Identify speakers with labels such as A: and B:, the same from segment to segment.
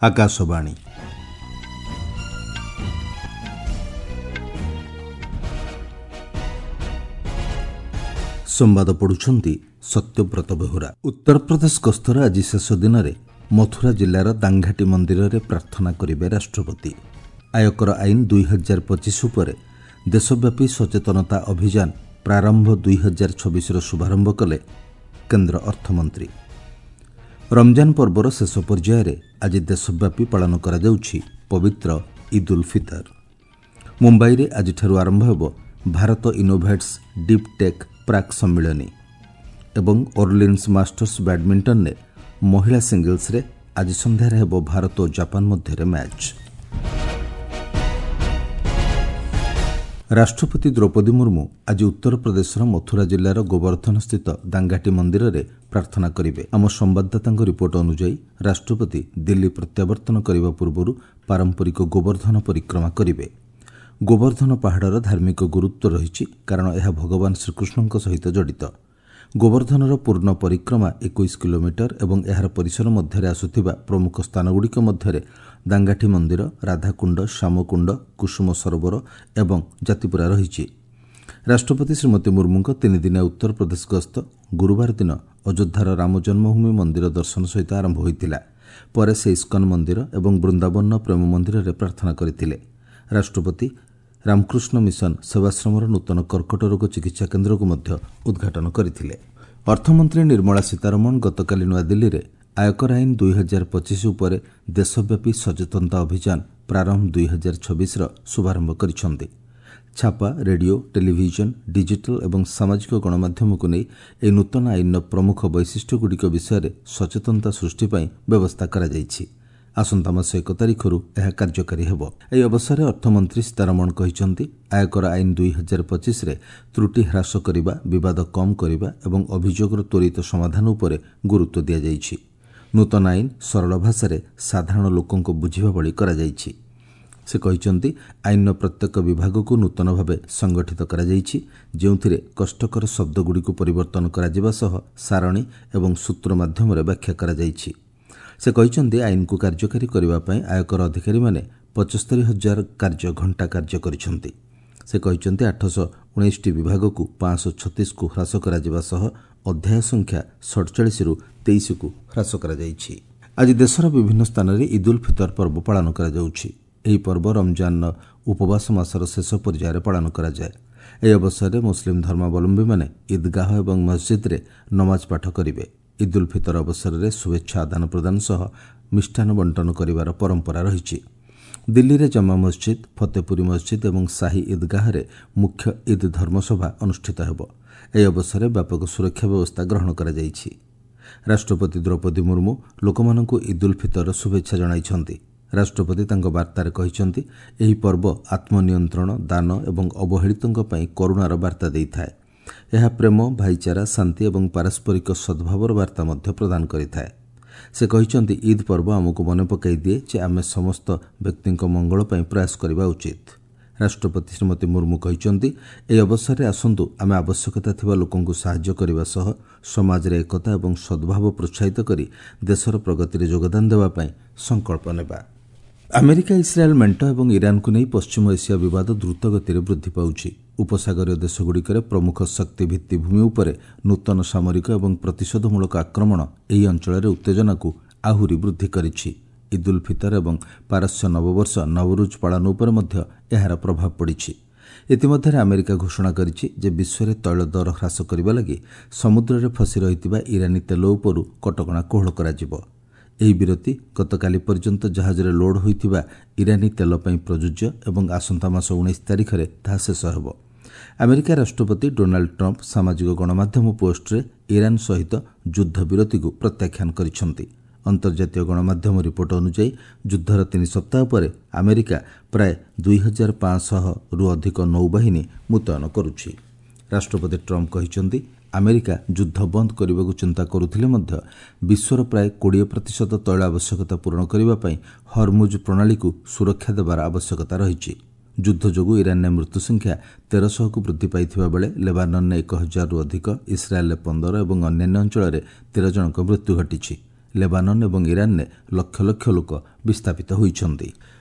A: ଆକାଶବାଣୀ। ସମ୍ବାଦ ପଢୁଛନ୍ତି ସତ୍ୟବ୍ରତ ବେହୁରା। ଉତ୍ତରପ୍ରଦେଶ ଗସ୍ତର ଆଜି ଶେଷ ଦିନରେ ମଥୁରା ଜିଲ୍ଲାର ଦାଙ୍ଘାଟି ମନ୍ଦିରରେ ପ୍ରାର୍ଥନା କରିବେ ରାଷ୍ଟ୍ରପତି। ଆୟକର ଆଇନ 2025 ଉପରେ ଦେଶବ୍ୟାପୀ ସଚେତନତା ଅଭିଯାନ ପ୍ରାରମ୍ଭ 2026ର ଶୁଭାରମ୍ଭ କଲେ କେନ୍ଦ୍ର ଅର୍ଥମନ୍ତ୍ରୀ। ରମଜାନ ପର୍ବର ଶେଷ ପର୍ଯ୍ୟାୟରେ ଆଜି ଦେଶବ୍ୟାପୀ ପାଳନ କରାଯାଉଛି ପବିତ୍ର ଇଦ୍ ଉଲ୍ ଫିତର। ମୁମ୍ବାଇରେ ଆଜିଠାରୁ ଆରମ୍ଭ ହେବ ଭାରତ ଇନୋଭେଟ୍ସ ଡିପ୍ ଟେକ୍ ପ୍ରାକ୍ ସମ୍ମିଳନୀ ଏବଂ ଓର୍ଲିନ୍ସ ମାଷ୍ଟର୍ସ ବ୍ୟାଡ୍ମିଣ୍ଟନରେ ମହିଳା ସିଙ୍ଗଲ୍ସରେ ଆଜି ସନ୍ଧ୍ୟାରେ ହେବ ଭାରତ ଓ ଜାପାନ ମଧ୍ୟରେ ମ୍ୟାଚ୍। ରାଷ୍ଟ୍ରପତି ଦ୍ରୌପଦୀ ମୁର୍ମୁ ଆଜି ଉତ୍ତରପ୍ରଦେଶର ମଥୁରା ଜିଲ୍ଲାର ଗୋବର୍ଦ୍ଧନସ୍ଥିତ ଦାଙ୍ଗାଟି ମନ୍ଦିରରେ ପ୍ରାର୍ଥନା କରିବେ। ଆମ ସମ୍ବାଦଦାତାଙ୍କ ରିପୋର୍ଟ ଅନୁଯାୟୀ ରାଷ୍ଟ୍ରପତି ଦିଲ୍ଲୀ ପ୍ରତ୍ୟାବର୍ତ୍ତନ କରିବା ପୂର୍ବରୁ ପାରମ୍ପରିକ ଗୋବର୍ଦ୍ଧନ ପରିକ୍ରମା କରିବେ। ଗୋବର୍ଦ୍ଧନ ପାହାଡ଼ର ଧାର୍ମିକ ଗୁରୁତ୍ୱ ରହିଛି, କାରଣ ଏହା ଭଗବାନ ଶ୍ରୀକୃଷ୍ଣଙ୍କ ସହିତ ଜଡ଼ିତ। ଗୋବର୍ଦ୍ଧନର ପୂର୍ଣ୍ଣ ପରିକ୍ରମା 21 କିଲୋମିଟର ଏବଂ ଏହାର ପରିସର ମଧ୍ୟରେ ଆସୁଥିବା ପ୍ରମୁଖ ସ୍ଥାନଗୁଡ଼ିକ ମଧ୍ୟରେ ଦାଙ୍ଗାଠି ମନ୍ଦିର, ରାଧାକୁଣ୍ଡ, ଶ୍ୟାମକୁଣ୍ଡ, କୁସୁମ ସରୋବର ଏବଂ ଜାତିପୁରା ରହିଛି। ରାଷ୍ଟ୍ରପତି ଶ୍ରୀମତୀ ମୁର୍ମୁଙ୍କ ତିନିଦିନିଆ ଉତ୍ତରପ୍ରଦେଶ ଗସ୍ତ ଗୁରୁବାର ଦିନ ଅଯୋଧ୍ୟାର ରାମ ଜନ୍ମଭୂମି ମନ୍ଦିର ଦର୍ଶନ ସହିତ ଆରମ୍ଭ ହୋଇଥିଲା। ପରେ ସେ ଇସ୍କନ ମନ୍ଦିର ଏବଂ ବୃନ୍ଦାବନର ପ୍ରେମ ମନ୍ଦିରରେ ପ୍ରାର୍ଥନା କରିଥିଲେ। ରାଷ୍ଟ୍ରପତି ରାମକୃଷ୍ଣ ମିଶନ ସେବାଶ୍ରମର ନୂତନ କର୍କଟ ରୋଗ ଚିକିତ୍ସା କେନ୍ଦ୍ରକୁ ମଧ୍ୟ ଉଦ୍ଘାଟନ କରିଥିଲେ। ଅର୍ଥମନ୍ତ୍ରୀ ନିର୍ମଳା ସୀତାରମଣ ଗତକାଲି ନୂଆଦିଲ୍ଲୀରେ ଆୟକର ଆଇନ 2025 ଉପରେ ଦେଶବ୍ୟାପୀ ସଚେତନତା ଅଭିଯାନ ପ୍ରାରମ୍ଭ 2026ର ଶୁଭାରମ୍ଭ କରିଛନ୍ତି। ଛାପା, ରେଡିଓ, ଟେଲିଭିଜନ, ଡିଜିଟାଲ ଏବଂ ସାମାଜିକ ଗଣମାଧ୍ୟମକୁ ନେଇ ଏହି ନୂତନ ଆଇନର ପ୍ରମୁଖ ବୈଶିଷ୍ଟ୍ୟଗୁଡ଼ିକ ବିଷୟରେ ସଚେତନତା ସୃଷ୍ଟି ପାଇଁ ବ୍ୟବସ୍ଥା କରାଯାଇଛି। ଆସନ୍ତା ମାସ 1 ତାରିଖରୁ ଏହା କାର୍ଯ୍ୟକାରୀ ହେବ। ଏହି ଅବସରରେ ଅର୍ଥମନ୍ତ୍ରୀ ସୀତାରମଣ କହିଛନ୍ତି, ଆୟକର ଆଇନ 2025ରେ ତ୍ରୁଟି ହ୍ରାସ କରିବା, ବିବାଦ କମ୍ କରିବା ଏବଂ ଅଭିଯୋଗର ତ୍ୱରିତ ସମାଧାନ ଉପରେ ଗୁରୁତ୍ୱ ଦିଆଯାଇଛି। ନୂତନ ଆଇନ ସରଳ ଭାଷାରେ ସାଧାରଣ ଲୋକଙ୍କ ବୁଝିବା ଭଳି କରାଯାଇଛି। ସେ କହିଛନ୍ତି, ଆଇନର ପ୍ରତ୍ୟେକ ବିଭାଗକୁ ନୂତନ ଭାବେ ସଂଗଠିତ କରାଯାଇଛି, ଯେଉଁଥିରେ କଷ୍ଟକର ଶବ୍ଦଗୁଡ଼ିକୁ ପରିବର୍ତ୍ତନ କରାଯିବା ସହ ସାରଣୀ ଏବଂ ସୂତ୍ର ମାଧ୍ୟମରେ ବ୍ୟାଖ୍ୟା କରାଯାଇଛି। ସେ କହିଛନ୍ତି, ଆଇନକୁ କାର୍ଯ୍ୟକାରୀ କରିବା ପାଇଁ ଆୟକର ଅଧିକାରୀମାନେ 75,000 କାର୍ଯ୍ୟ ଘଣ୍ଟା କାର୍ଯ୍ୟ କରିଛନ୍ତି। ସେ କହିଛନ୍ତି, 819ଟି ବିଭାଗକୁ 536କୁ ହ୍ରାସ କରାଯିବା ସହ ଅଧ୍ୟାୟ ସଂଖ୍ୟା 47ରୁ 23କୁ ହ୍ରାସ କରାଯାଇଛି। ଆଜି ଦେଶର ବିଭିନ୍ନ ସ୍ଥାନରେ ଇଦ୍ ଉଲ୍ ଫିତର ପର୍ବ ପାଳନ କରାଯାଉଛି। ଏହି ପର୍ବ ରମଜାନର ଉପବାସ ମାସର ଶେଷ ପର୍ଯ୍ୟାୟରେ ପାଳନ କରାଯାଏ। ଏହି ଅବସରରେ ମୁସଲିମ ଧର୍ମାବଲମ୍ବୀମାନେ ଇଦ୍ଗାହ ଏବଂ ମସଜିଦ୍ରେ ନମାଜ ପାଠ କରିବେ। ଇଦ୍ ଉଲ୍ ଫିତର ଅବସରରେ ଶୁଭେଚ୍ଛା ଆଦାନ ପ୍ରଦାନ ସହ ମିଷ୍ଟାନ୍ନ ବଣ୍ଟନ କରିବାର ପରମ୍ପରା ରହିଛି। ଦିଲ୍ଲୀରେ ଜାମା ମସଜିଦ୍, ଫତେପୁରୀ ମସଜିଦ୍ ଏବଂ ସାହି ଇଦ୍ଗାହରେ ମୁଖ୍ୟ ଇଦ୍ ଧର୍ମସଭା ଅନୁଷ୍ଠିତ ହେବ। ଏହି ଅବସରରେ ବ୍ୟାପକ ସୁରକ୍ଷା ବ୍ୟବସ୍ଥା ଗ୍ରହଣ କରାଯାଇଛି। ରାଷ୍ଟ୍ରପତି ଦ୍ରୌପଦୀ ମୁର୍ମୁ ଲୋକମାନଙ୍କୁ ଇଦ୍ ଉଲ୍ ଫିତରର ଶୁଭେଚ୍ଛା ଜଣାଇଛନ୍ତି। ରାଷ୍ଟ୍ରପତି ତାଙ୍କ ବାର୍ତ୍ତାରେ କହିଛନ୍ତି, ଏହି ପର୍ବ ଆତ୍ମନିୟନ୍ତ୍ରଣ, ଦାନ ଏବଂ ଅବହେଳିତଙ୍କ ପାଇଁ କରୁଣାର ବାର୍ତ୍ତା ଦେଇଥାଏ। ଏହା ପ୍ରେମ, ଭାଇଚାରା, ଶାନ୍ତି ଏବଂ ପାରସ୍ପରିକ ସଦ୍ଭାବର ବାର୍ତ୍ତା ମଧ୍ୟ ପ୍ରଦାନ କରିଥାଏ। ସେ କହିଛନ୍ତି, ଇଦ୍ ପର୍ବ ଆମକୁ ମନେ ପକାଇ ଦିଏ ଯେ ଆମେ ସମସ୍ତ ବ୍ୟକ୍ତିଙ୍କ ମଙ୍ଗଳ ପାଇଁ ପ୍ରୟାସ କରିବା ଉଚିତ। ରାଷ୍ଟ୍ରପତି ଶ୍ରୀମତୀ ମୁର୍ମୁ କହିଛନ୍ତି, ଏହି ଅବସରରେ ଆସନ୍ତୁ ଆମେ ଆବଶ୍ୟକତା ଥିବା ଲୋକଙ୍କୁ ସାହାଯ୍ୟ କରିବା ସହ ସମାଜରେ ଏକତା ଏବଂ ସଦ୍ଭାବ ପ୍ରୋତ୍ସାହିତ କରି ଦେଶର ପ୍ରଗତିରେ ଯୋଗଦାନ ଦେବା ପାଇଁ ସଂକଳ୍ପ ନେବା। ଆମେରିକା ଇସ୍ରାଏଲ୍ ମେଣ୍ଟ ଏବଂ ଇରାନକୁ ନେଇ ପଶ୍ଚିମ ଏସିଆ ବିବାଦ ଦ୍ରୁତ ଗତିରେ ବୃଦ୍ଧି ପାଉଛି। ଉପସାଗରୀୟ ଦେଶଗୁଡ଼ିକରେ ପ୍ରମୁଖ ଶକ୍ତି ଭିତ୍ତିଭୂମି ଉପରେ ନୂତନ ସାମରିକ ଏବଂ ପ୍ରତିଶୋଧମୂଳକ ଆକ୍ରମଣ ଏହି ଅଞ୍ଚଳରେ ଉତ୍ତେଜନାକୁ ଆହୁରି ବୃଦ୍ଧି କରିଛି। ଇଦ୍ ଉଲ୍ ଫିତର ଏବଂ ପାରସ୍ୟ ନବବର୍ଷ ନବରୁଜ ପାଳନ ଉପରେ ମଧ୍ୟ ଏହାର ପ୍ରଭାବ ପଡ଼ିଛି। ଇତିମଧ୍ୟରେ ଆମେରିକା ଘୋଷଣା କରିଛି ଯେ ବିଶ୍ୱରେ ତୈଳ ଦର ହ୍ରାସ କରିବା ଲାଗି ସମୁଦ୍ରରେ ଫସି ରହିଥିବା ଇରାନୀ ତେଲ ଉପରୁ କଟକଣା କୋହଳ କରାଯିବ। ଏହି ବିରତି ଗତକାଲି ପର୍ଯ୍ୟନ୍ତ ଜାହାଜରେ ଲୋଡ୍ ହୋଇଥିବା ଇରାନୀ ତେଲ ପାଇଁ ପ୍ରଯୁଜ୍ୟ ଏବଂ ଆସନ୍ତା ମାସ 19 ତାରିଖରେ ତାହା ଶେଷ ହେବ। ଆମେରିକା ରାଷ୍ଟ୍ରପତି ଡୋନାଲ୍ଡ ଟ୍ରମ୍ପ ସାମାଜିକ ଗଣମାଧ୍ୟମ ପୋଷ୍ଟରେ ଇରାନ ସହିତ ଯୁଦ୍ଧବିରତିକୁ ପ୍ରତ୍ୟାଖ୍ୟାନ କରିଛନ୍ତି। ଅନ୍ତର୍ଜାତୀୟ ଗଣମାଧ୍ୟମ ରିପୋର୍ଟ ଅନୁଯାୟୀ ଯୁଦ୍ଧର 3 ସପ୍ତାହ ପରେ ଆମେରିକା ପ୍ରାୟ 2500ରୁ ଅଧିକ ନୌବାହିନୀ ମୁତୟନ କରୁଛି। ରାଷ୍ଟ୍ରପତି ଟ୍ରମ୍ପ କହିଛନ୍ତି, ଆମେରିକା ଯୁଦ୍ଧ ବନ୍ଦ କରିବାକୁ ଚିନ୍ତା କରୁଥିଲେ ମଧ୍ୟ ବିଶ୍ୱର ପ୍ରାୟ 20% ତୈଳ ଆବଶ୍ୟକତା ପୂରଣ କରିବା ପାଇଁ ହରମୁଜ ପ୍ରଣାଳୀକୁ ସୁରକ୍ଷା ଦେବାର ଆବଶ୍ୟକତା ରହିଛି। ଯୁଦ୍ଧ ଯୋଗୁଁ ଇରାନରେ ମୃତ୍ୟୁ ସଂଖ୍ୟା 1300କୁ ବୃଦ୍ଧି ପାଇଥିବା ବେଳେ ଲେବାନନରେ 1000ରୁ ଅଧିକ, ଇସ୍ରାଏଲ୍ରେ 15 ଏବଂ ଅନ୍ୟାନ୍ୟ ଅଞ୍ଚଳରେ 13 ଜଣଙ୍କ ମୃତ୍ୟୁ ଘଟିଛି। ଲେବାନନ୍ ଏବଂ ଇରାନରେ ଲକ୍ଷ ଲକ୍ଷ ଲୋକ ବିସ୍ଥାପିତ ହୋଇଛନ୍ତି।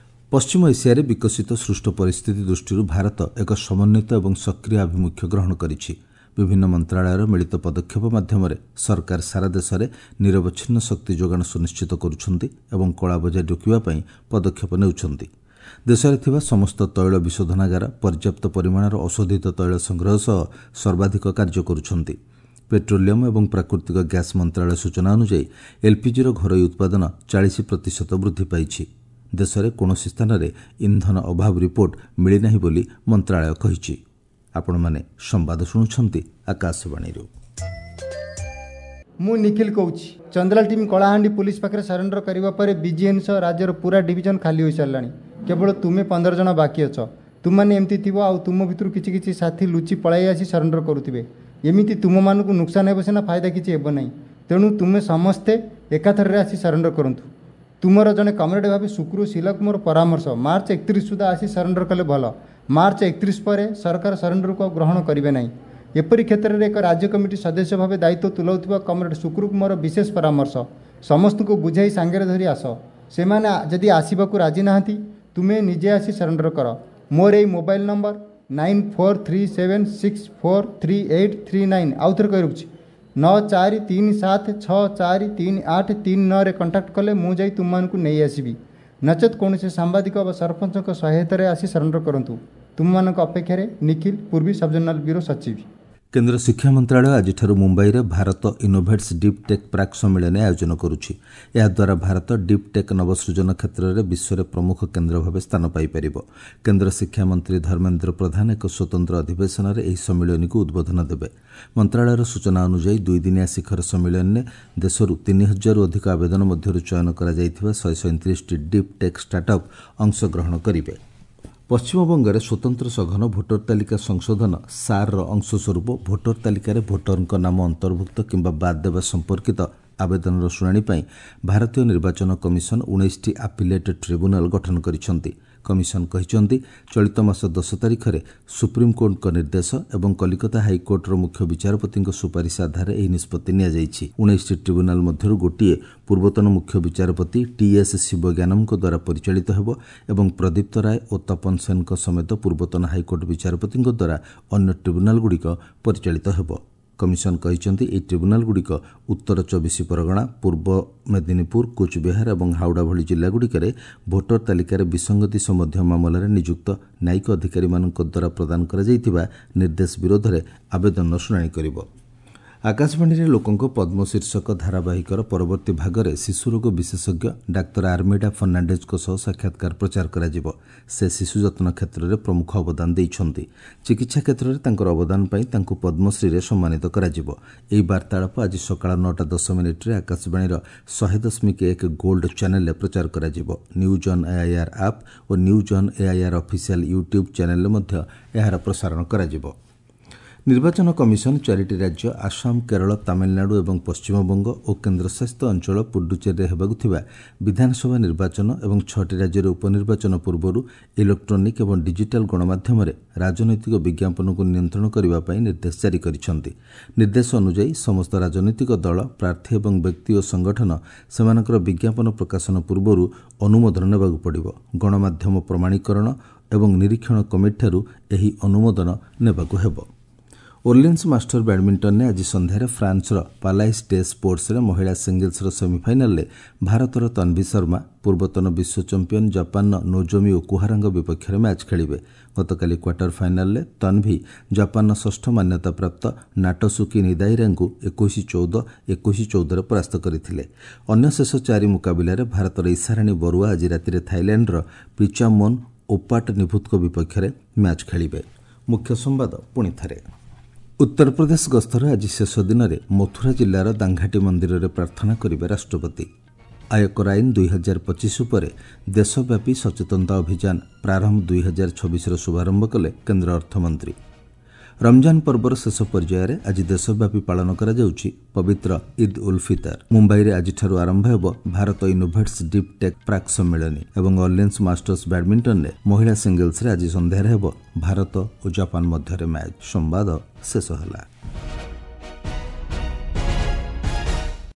A: ପଶ୍ଚିମ ଏସିଆରେ ବିକଶିତ ସୃଷ୍ଟ ପରିସ୍ଥିତି ଦୃଷ୍ଟିରୁ ଭାରତ ଏକ ସମନ୍ୱିତ ଏବଂ ସକ୍ରିୟ ଆଭିମୁଖ୍ୟ ଗ୍ରହଣ କରିଛି। ବିଭିନ୍ନ ମନ୍ତ୍ରଣାଳୟର ମିଳିତ ପଦକ୍ଷେପ ମାଧ୍ୟମରେ ସରକାର ସାରା ଦେଶରେ ନିରବଚ୍ଛିନ୍ନ ଶକ୍ତି ଯୋଗାଣ ସୁନିଶ୍ଚିତ କରୁଛନ୍ତି ଏବଂ କଳାବଜାରୀ ରୋକିବା ପାଇଁ ପଦକ୍ଷେପ ନେଉଛନ୍ତି। ଦେଶରେ ଥିବା ସମସ୍ତ ତୈଳ ବିଶୋଧନାଗାର ପର୍ଯ୍ୟାପ୍ତ ପରିମାଣର ଅଶୋଧିତ ତୈଳ ସଂଗ୍ରହ ସହ ସର୍ବାଧିକ କାର୍ଯ୍ୟ କରୁଛନ୍ତି। ପେଟ୍ରୋଲିୟମ୍ ଏବଂ ପ୍ରାକୃତିକ ଗ୍ୟାସ୍ ମନ୍ତ୍ରଣାଳୟ ସୂଚନା ଅନୁଯାୟୀ ଏଲ୍ପିଜିର ଘରୋଇ ଉତ୍ପାଦନ 40% ବୃଦ୍ଧି ପାଇଛି। ଦେଶରେ କୌଣସି ସ୍ଥାନରେ ଇନ୍ଧନ ଅଭାବ ରିପୋର୍ଟ ମିଳିନାହିଁ ବୋଲି ମନ୍ତ୍ରଣାଳୟ କହିଛି। ଆପଣମାନେ ସମ୍ବାଦ ଶୁଣୁଛନ୍ତି ଆକାଶବାଣୀରୁ।
B: ମୁଁ ନିଖିଲ କହୁଛି। ଚନ୍ଦ୍ରାଲ ଟିମ୍ କଳାହାଣ୍ଡି ପୁଲିସ ପାଖରେ ସରେଣ୍ଡର କରିବା ପରେ ବିଜିଏନ୍ ସହ ରାଜ୍ୟର ପୁରା ଡିଭିଜନ ଖାଲି ହୋଇସାରିଲାଣି। କେବଳ ତୁମେ 15 ଜଣ ବାକି ଅଛ। ତୁମମାନେ ଏମିତି ଥିବ ଆଉ ତୁମ ଭିତରୁ କିଛି କିଛି ସାଥୀ ଲୁଚି ପଳାଇ ଆସି ସରେଣ୍ଡର କରୁଥିବେ। ଏମିତି ତୁମମାନଙ୍କୁ ନୁକସାନ ହେବ ସିନା, ଫାଇଦା କିଛି ହେବ ନାହିଁ। ତେଣୁ ତୁମେ ସମସ୍ତେ ଏକାଥରରେ ଆସି ସରେଣ୍ଡର କରନ୍ତୁ। ତୁମର ଜଣେ କମ୍ରେଡ଼ ଭାବେ ଶୁକ୍ରୁ ଶିଲାକୁ ମୋର ପରାମର୍ଶ, ମାର୍ଚ୍ଚ 31 ସୁଦ୍ଧା ଆସି ସରେଣ୍ଡର କଲେ ଭଲ। ମାର୍ଚ୍ଚ 31 ପରେ ସରକାର ସରେଣ୍ଡରକୁ ଆଉ ଗ୍ରହଣ କରିବେ ନାହିଁ। ଏପରି କ୍ଷେତ୍ରରେ ଏକ ରାଜ୍ୟ କମିଟି ସଦସ୍ୟ ଭାବେ ଦାୟିତ୍ୱ ତୁଲାଉଥିବା କମ୍ରେଡ଼ ଶୁକ୍ରୁକୁ ମୋର ବିଶେଷ ପରାମର୍ଶ, ସମସ୍ତଙ୍କୁ ବୁଝାଇ ସାଙ୍ଗରେ ଧରି ଆସ। ସେମାନେ ଯଦି ଆସିବାକୁ ରାଜି ନାହାନ୍ତି, ତୁମେ ନିଜେ ଆସି ସରେଣ୍ଡର କର। ମୋର ଏଇ ମୋବାଇଲ ନମ୍ବର 9437643839, ଆଉ ଥରେ କହି ରଖୁଛି, 9437643839ରେ କଣ୍ଟାକ୍ଟ କଲେ ମୁଁ ଯାଇ ତୁମମାନଙ୍କୁ ନେଇ ଆସିବି। ନଚେତ୍ କୌଣସି ସାମ୍ବାଦିକ ବା ସରପଞ୍ଚଙ୍କ ସହାୟତାରେ ଆସି ସରେଣ୍ଡର କରନ୍ତୁ। ତୁମମାନଙ୍କ ଅପେକ୍ଷାରେ ନିଖିଲ, ପୂର୍ବୀ ସବଜୋନାଲ ବ୍ୟୁରୋ ସଚିବ।
A: କେନ୍ଦ୍ର ଶିକ୍ଷା ମନ୍ତ୍ରଣାଳୟ ଆଜିଠାରୁ ମୁମ୍ବାଇରେ ଭାରତ ଇନୋଭେଟ୍ସ ଡିପ୍ ଟେକ୍ ପ୍ରାକ୍ ସମ୍ମିଳନୀ ଆୟୋଜନ କରୁଛି। ଏହାଦ୍ୱାରା ଭାରତ ଡିପ୍ ଟେକ୍ ନବସୃଜନ କ୍ଷେତ୍ରରେ ବିଶ୍ୱରେ ପ୍ରମୁଖ କେନ୍ଦ୍ର ଭାବେ ସ୍ଥାନ ପାଇପାରିବ। କେନ୍ଦ୍ର ଶିକ୍ଷାମନ୍ତ୍ରୀ ଧର୍ମେନ୍ଦ୍ର ପ୍ରଧାନ ଏକ ସ୍ୱତନ୍ତ୍ର ଅଧିବେଶନରେ ଏହି ସମ୍ମିଳନୀକୁ ଉଦ୍ବୋଧନ ଦେବେ। ମନ୍ତ୍ରଣାଳୟର ସୂଚନା ଅନୁଯାୟୀ ଦୁଇଦିନିଆ ଶିଖର ସମ୍ମିଳନୀରେ ଦେଶରୁ 3000ରୁ ଅଧିକ ଆବେଦନ ମଧ୍ୟରୁ ଚୟନ କରାଯାଇଥିବା 137ଟି ଡିପ୍ ଟେକ୍ ଷ୍ଟାର୍ଟଅପ୍ ଅଂଶଗ୍ରହଣ କରିବେ। ପଶ୍ଚିମବଙ୍ଗରେ ସ୍ୱତନ୍ତ୍ର ସଘନ ଭୋଟର ତାଲିକା ସଂଶୋଧନ ସାର୍ର ଅଂଶସ୍ୱରୂପ ଭୋଟର ତାଲିକାରେ ଭୋଟରଙ୍କ ନାମ ଅନ୍ତର୍ଭୁକ୍ତ କିମ୍ବା ବାଦ୍ ଦେବା ସମ୍ପର୍କିତ ଆବେଦନର ଶୁଣାଣି ପାଇଁ ଭାରତୀୟ ନିର୍ବାଚନ କମିଶନ 19ଟି ଆପିଲେଟ୍ ଟ୍ରିବ୍ୟୁନାଲ ଗଠନ କରିଛନ୍ତି। କମିଶନ କହିଛନ୍ତି, ଚଳିତ ମାସ 10 ତାରିଖରେ ସୁପ୍ରିମକୋର୍ଟଙ୍କ ନିର୍ଦ୍ଦେଶ ଏବଂ କଲିକତା ହାଇକୋର୍ଟର ମୁଖ୍ୟ ବିଚାରପତିଙ୍କ ସୁପାରିଶ ଆଧାରରେ ଏହି ନିଷ୍ପତ୍ତି ନିଆଯାଇଛି। 19ଟି ଟ୍ରିବ୍ୟୁନାଲ ମଧ୍ୟରୁ ଗୋଟିଏ ପୂର୍ବତନ ମୁଖ୍ୟ ବିଚାରପତି ଟିଏସ୍ ଶିବଜ୍ଞାନମଙ୍କ ଦ୍ୱାରା ପରିଚାଳିତ ହେବ ଏବଂ ପ୍ରଦୀପ୍ତ ରାୟ ଓ ତପନ ସେନଙ୍କ ସମେତ ପୂର୍ବତନ ହାଇକୋର୍ଟ ବିଚାରପତିଙ୍କ ଦ୍ୱାରା ଅନ୍ୟ ଟ୍ରିବ୍ୟୁନାଲଗୁଡ଼ିକ ପରିଚାଳିତ ହେବ। କମିଶନ କହିଛନ୍ତି, ଏହି ଟ୍ରିବ୍ୟୁନାଲଗୁଡ଼ିକ ଉତ୍ତର 24 ପରଗଣା, ପୂର୍ବ ମେଦିନୀପୁର, କୁଚବିହାର ଏବଂ ହାଉଡ଼ା ଭଳି ଜିଲ୍ଲାଗୁଡ଼ିକରେ ଭୋଟର ତାଲିକାରେ ବିସଙ୍ଗତି ସମ୍ବନ୍ଧୀୟ ମାମଲାରେ ନିଯୁକ୍ତ ନ୍ୟାୟିକ ଅଧିକାରୀମାନଙ୍କ ଦ୍ୱାରା ପ୍ରଦାନ କରାଯାଇଥିବା ନିର୍ଦ୍ଦେଶ ବିରୋଧରେ ଆବେଦନର ଶୁଣାଣି କରିବ। ଆକାଶବାଣୀରେ ଲୋକଙ୍କ ପଦ୍ମ ଶୀର୍ଷକ ଧାରାବାହିକର ପରବର୍ତ୍ତୀ ଭାଗରେ ଶିଶୁରୋଗ ବିଶେଷଜ୍ଞ ଡାକ୍ତର ଆର୍ମିଡା ଫର୍ଣ୍ଣାଣ୍ଡେଜଙ୍କ ସହ ସାକ୍ଷାତକାର ପ୍ରଚାର କରାଯିବ। ସେ ଶିଶୁ ଯତ୍ନ କ୍ଷେତ୍ରରେ ପ୍ରମୁଖ ଅବଦାନ ଦେଇଛନ୍ତି। ଚିକିତ୍ସା କ୍ଷେତ୍ରରେ ତାଙ୍କର ଅବଦାନ ପାଇଁ ତାଙ୍କୁ ପଦ୍ମଶ୍ରୀରେ ସମ୍ମାନିତ କରାଯିବ। ଏହି ବାର୍ତ୍ତାଳାପ ଆଜି ସକାଳ 9ଟା 10 ମିନିଟ୍ରେ ଆକାଶବାଣୀର 100.1 ଗୋଲ୍ଡ ଚ୍ୟାନେଲରେ ପ୍ରଚାର କରାଯିବ। News on AIR app O news on AIR official YouTube ଚ୍ୟାନେଲରେ ମଧ୍ୟ ଏହାର ପ୍ରସାରଣ କରାଯିବ। ନିର୍ବାଚନ କମିଶନ ଚାରିଟି ରାଜ୍ୟ ଆସାମ, କେରଳ, ତାମିଲନାଡୁ ଏବଂ ପଶ୍ଚିମବଙ୍ଗ ଓ କେନ୍ଦ୍ରଶାସିତ ଅଞ୍ଚଳ ପୁଡୁଚେରୀରେ ହେବାକୁ ଥିବା ବିଧାନସଭା ନିର୍ବାଚନ ଏବଂ ଛଅଟି ରାଜ୍ୟରେ ଉପନିର୍ବାଚନ ପୂର୍ବରୁ ଇଲେକ୍ଟ୍ରୋନିକ୍ ଏବଂ ଡିଜିଟାଲ ଗଣମାଧ୍ୟମରେ ରାଜନୈତିକ ବିଜ୍ଞାପନକୁ ନିୟନ୍ତ୍ରଣ କରିବା ପାଇଁ ନିର୍ଦ୍ଦେଶ ଜାରି କରିଛନ୍ତି। ନିର୍ଦ୍ଦେଶ ଅନୁଯାୟୀ ସମସ୍ତ ରାଜନୈତିକ ଦଳ, ପ୍ରାର୍ଥୀ ଏବଂ ବ୍ୟକ୍ତି ଓ ସଂଗଠନ ସେମାନଙ୍କର ବିଜ୍ଞାପନ ପ୍ରକାଶନ ପୂର୍ବରୁ ଅନୁମୋଦନ ନେବାକୁ ପଡ଼ିବ। ଗଣମାଧ୍ୟମ ପ୍ରମାଣୀକରଣ ଏବଂ ନିରୀକ୍ଷଣ କମିଟିଠାରୁ ଏହି ଅନୁମୋଦନ ନେବାକୁ ହେବ। ଓର୍ଲିନ୍ସ ମାଷ୍ଟର ବ୍ୟାଡମିଣ୍ଟନରେ ଆଜି ସନ୍ଧ୍ୟାରେ ଫ୍ରାନ୍ସର ପାଲାଇସ୍ ଡେ ସ୍ପୋର୍ଟସରେ ମହିଳା ସିଙ୍ଗଲ୍ସର ସେମିଫାଇନାଲରେ ଭାରତର ତନ୍ଭି ଶର୍ମା ପୂର୍ବତନ ବିଶ୍ୱ ଚାମ୍ପିୟନ ଜାପାନର ନୋଜୋମି ଓକୁହାରାଙ୍କ ବିପକ୍ଷରେ ମ୍ୟାଚ୍ ଖେଳିବେ। ଗତକାଲି କ୍ୱାର୍ଟର ଫାଇନାଲରେ ତନ୍ଭି ଜାପାନର ଷଷ୍ଠ ମାନ୍ୟତାପ୍ରାପ୍ତ ନାଟସୁକି ନିଦାଇରାଙ୍କୁ 21-14, 21-14ରେ ପରାସ୍ତ କରିଥିଲେ। ଅନ୍ୟ ଶେଷ ଚାରି ମୁକାବିଲାରେ ଭାରତର ଇଶାରାଣୀ ବରୁଆ ଆଜି ରାତିରେ ଥାଇଲ୍ୟାଣ୍ଡର ପ୍ରିଚାମୋନ୍ ଓପାଟ ନିଭୁତଙ୍କ ବିପକ୍ଷରେ ମ୍ୟାଚ୍ ଖେଳିବେ। ମୁଖ୍ୟ ସମ୍ବାଦ ପୁଣି ଥରେ। ଉତ୍ତରପ୍ରଦେଶ ଗସ୍ତର ଆଜି ଶେଷ ଦିନରେ ମଥୁରା ଜିଲ୍ଲାର ଦାଙ୍ଘାଟି ମନ୍ଦିରରେ ପ୍ରାର୍ଥନା କରିବେ ରାଷ୍ଟ୍ରପତି। ଆୟକର ଆଇନ 2025 ଉପରେ ଦେଶବ୍ୟାପୀ ସଚେତନତା ଅଭିଯାନ ପ୍ରାରମ୍ଭ 2026ର ଶୁଭାରମ୍ଭ କଲେ କେନ୍ଦ୍ର ଅର୍ଥମନ୍ତ୍ରୀ। ରମଜାନ ପର୍ବର ଶେଷ ପର୍ଯ୍ୟାୟରେ ଆଜି ଦେଶବ୍ୟାପୀ ପାଳନ କରାଯାଉଛି ପବିତ୍ର ଇଦ୍ ଉଲ୍ ଫିତର। ମୁମ୍ବାଇରେ ଆଜିଠାରୁ ଆରମ୍ଭ ହେବ ଭାରତ ଇନୋଭେଟ୍ସ ଡିପ୍ ଟେକ୍ ପ୍ରାକ୍ ସମ୍ମିଳନୀ ଏବଂ ଅର୍ଲିନ୍ସ ମାଷ୍ଟର୍ସ ବ୍ୟାଡମିଣ୍ଟନରେ ମହିଳା ସିଙ୍ଗଲ୍ସରେ ଆଜି ସନ୍ଧ୍ୟାରେ ହେବ ଭାରତ ଓ ଜାପାନ ମଧ୍ୟରେ ମ୍ୟାଚ୍। ସମ୍ବାଦ ଶେଷ ହେଲା।